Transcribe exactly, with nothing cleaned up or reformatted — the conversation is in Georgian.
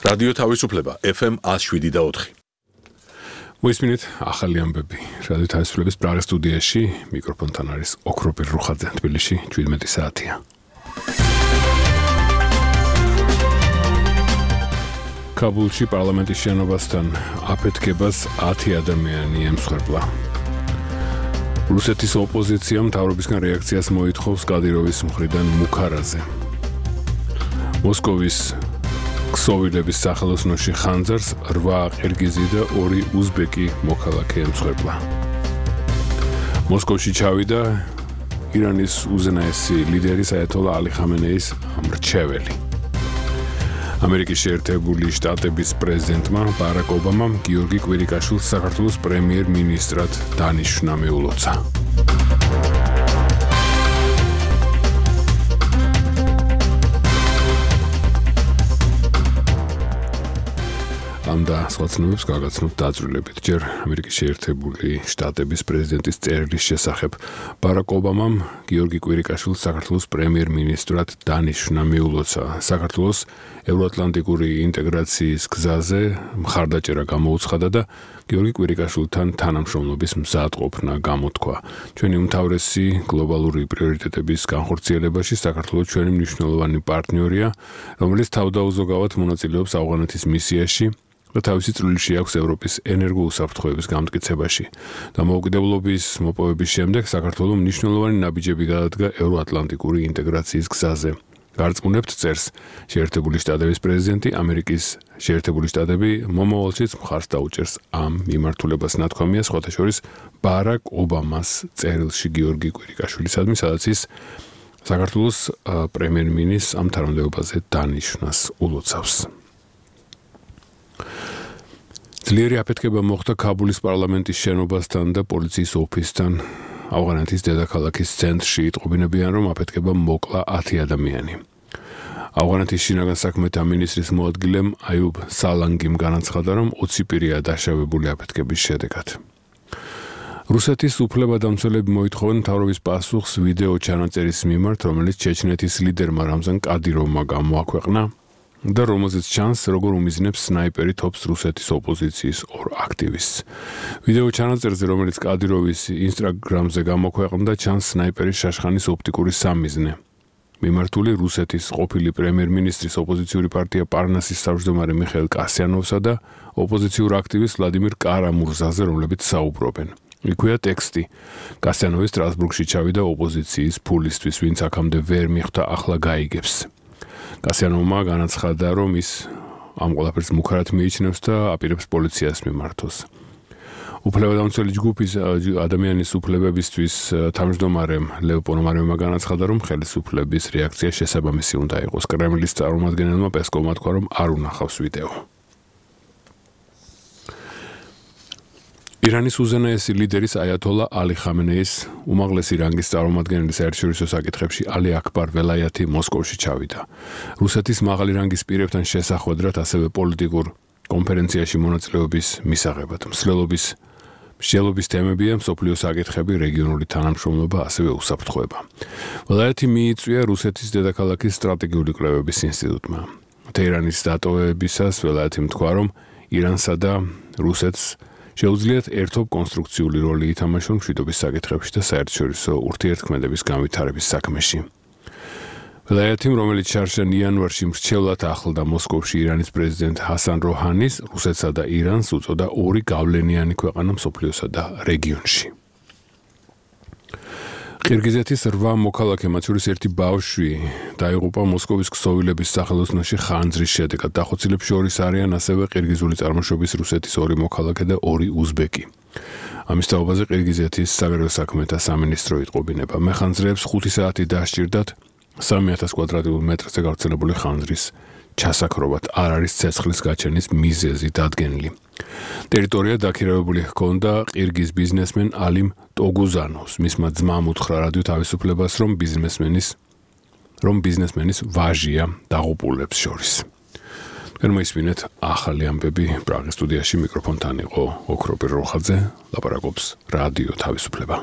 რადიო თავისუფლება F M one oh seven და four. მოისმინეთ ახალი ამბები. რადიო თავისუფლების პრაღის სტუდიაში მიკროფონთან არის ოქროპირ რუხაძე. თბილისში seventeen საათია. კაბულში პარლამენტის შენობასთან აფეთქებას ten ადამიანი ემსხვერპლა. რუსეთის ოპოზიციამ მთავრობისგან რეაქციას მოითხოვს კადიროვის მხრიდან მუქარაზე. მოსკოვის ქსოვილების სახელოსნოში ხანძარს eight ყირგიზი და two უზბეკი მოქალაქე ემსხვერპლა. მოსკოვში ჩავიდა ირანის უზენაესი ლიდერის აიათოლა ალი ხამენეის მრჩეველი. ამერიკის შეერთებული შტატების პრეზიდენტმა ბარაკ ობამამ გიორგი კვირიკაშვილს საქართველოს პრემიერ-მინისტრად დანიშვნა მიულოცა. ამ და სხვა ცნობებს გაგაცნობთ დაძრულებით. ჯერ ამერიკის შეერთებული შტატების პრეზიდენტის წერილის შესახებ ბარაკ ობამამ გიორგი კვირიკაშვილს საქართველოს პრემიერ-მინისტრად დანიშვნა მიულოცა. საქართველოს ევროატლანტიკური ინტეგრაციის გზაზე მხარდაჭერა გამოუცხადა და გიორგი კვირიკაშვილთან თანამშრომლობის მზადყოფნა გამოთქვა. ჩვენი უმთავრესი გლობალური პრიორიტეტების განხორციელებაში საქართველოს ჩვენი მნიშვნელოვანი პარტნიორია, რომელიც თავდაუზოგავად მონაწილეობს ავღანეთის მისიაში და თავისი წვლილი აქვს ევროპის ენერგოუსაფრთხოების გამტკიცებაში. დამოუკიდებლობის მოპოვების შემდეგ საქართველოს მნიშვნელოვანი ნაბიჯები გადადგა ევროატლანტიკური ინტეგრაციის გზაზე. გარწმუნებთ წერს შეერთებული შტატების პრეზიდენტი, ამერიკის შეერთებული შტატები მომავალშიც მხარს დაუჭერს ამ მიმართულებას. ნათქვამია სხვათა შორის ბარაკ ობამას წერილში გიორგი კვირიკაშვილისადმი, სადაც ის საქართველოს პრემიერ-მინისტრს ამ თანამდებობაზე დანიშვნას ულოცავს. ძლიერი აფეთქება მოხდა კაბულის პარლამენტის შენობასთან და პოლიციის ოფისთან. ავღანეთის დედაქალაქის ცენტრში იტყობინებიან, რომ აფეთქება მოკლა ten ადამიანი. ავღანეთის შინაგან საქმეთა მინისტრის მოადგილემ აიუბ სალანგიმ განაცხადა, რომ twenty პირია დაშავებული აფეთქების შედეგად. რუსეთის უფლებადამცველები მოითხოვენ მთავრობის პასუხს ვიდეო ჩანაწერის მიმართ, რომელიც ჩეჩნეთის ლიდერმა რამზან კადიროვმა გამოაქვეყნა და რომელზეც ჩანს, როგორ უმიზნებს სნაიპერი თოფს რუსეთის ოპოზიციის ორ აქტივისტს. ვიდეო ჩანაწერზე, რომელიც კადიროვის ინსტაგრამზე გამოქვეყნდა, ჩანს სნაიპერის შაშხანის ოპტიკური სამიზნე. მიმართული რუსეთის ყოფილი პრემიერ-მინისტრის ოპოზიციური პარტია პარნასის თავმჯდომარე მიხეილ კასიანოვსა და ოპოზიციურ აქტივისტ ვლადიმირ კარამურზაზე, რომლებიც საუბრობენ. იქვეა ტექსტი. კასიანოვი სტრასბურგში ჩავიდა ოპოზიციის ფულისთვის, ვინც აქამდე ვერ მიხვდა, ახლა გაიგებს. კასიანოვმა განაცხადა, რომ ის ამ ყველაფერს მუქარად მიიჩნევს და აპირებს პოლიციას მიმართოს. უფლებადამცველი ჯგუფის ადამიანის უფლებებისთვის თავმჯდომარემ ლევ პონომარევმა განაცხადა, რომ ხელისუფლების რეაქცია შესაბამისი უნდა იყოს. კრემლის წარმომადგენელმა პესკოვმა თქვა, რომ არ უნახავს ვიდეო. ირანის უზენაესი ლიდერის აიათოლა ალი ხამენეის უმაღლესი რანგის წარმომადგენელი საერთაშორისო საკითხებში ალი აკბარ ველაიათი მოსკოვში ჩავიდა. რუსეთის მაღალი რანგის პირებთან შესახვედრად, ასევე პოლიტიკურ კონფერენციაში მონაწილეობის მისაღებად. მსვლელობის მსჯელობის თემებია მსოფლიო საკითხები, რეგიონული თანამშრომლობა, ასევე უსაფრთხოება. ველაიათი მიიწვია რუსეთის დედაქალაქის სტრატეგიული კვლევების ინსტიტუტმა. თეირანის დატოვებისას ველაიათი თქვა, რომ ირანსა და რუსეთს შეუძლიათ ერთობ კონსტრუქციული როლი ითამაშონ მშვიდობის საკითხებში და საერთაშორისო ურთიერთქმედების განვითარების საქმეში. ველაიათიმ, რომელიც შარშან იანვარში მრჩევლად ახლდა მოსკოვში ირანის პრეზიდენტ ჰასან როჰანის, რუსეთსა და ირანს უწოდა ორი გავლენიანი ქვეყანა მსოფლიოსა და რეგიონში. ყირგიზეთის eight მოქალაქე, მათ შორის ერთი ბავშვი, დაიღუპა მოსკოვის ქსოვილების სახელოსნოში ხანძრის შედეგად. დახოცილებს შორის არიან ასევე ყირგიზული წარმოშობის რუსეთის ორი მოქალაქე და ორი უზბეკი. ამის თაობაზე ყირგიზეთის საგარეო საქმეთა სამინისტრო იტყობინება. მეხანძრეებს ხუთი საათი დასჭირდათ three thousand კვადრატულ მეტრზე გავრცელებული ხანძრის ჩასაქრობად. არ არის ცეცხლის გაჩენის მიზეზი დადგენილი. ტერიტორია დაქირავებული ჰქონდა ყირგიზ ბიზნესმენ ალიმ ტოგუზანოვს. მისმა ძმამ უთხრა რადიო თავისუფლებას, რომ ბიზნესმენის რომ ბიზნესმენის ვაჟია დაღუპულებს შორის. თქვენ მოისმინეთ ახალი ამბები. პრაღის სტუდიაში მიკროფონთან იყო ოქროპირ როხაძე, ლაპარაკობს რადიო თავისუფლება.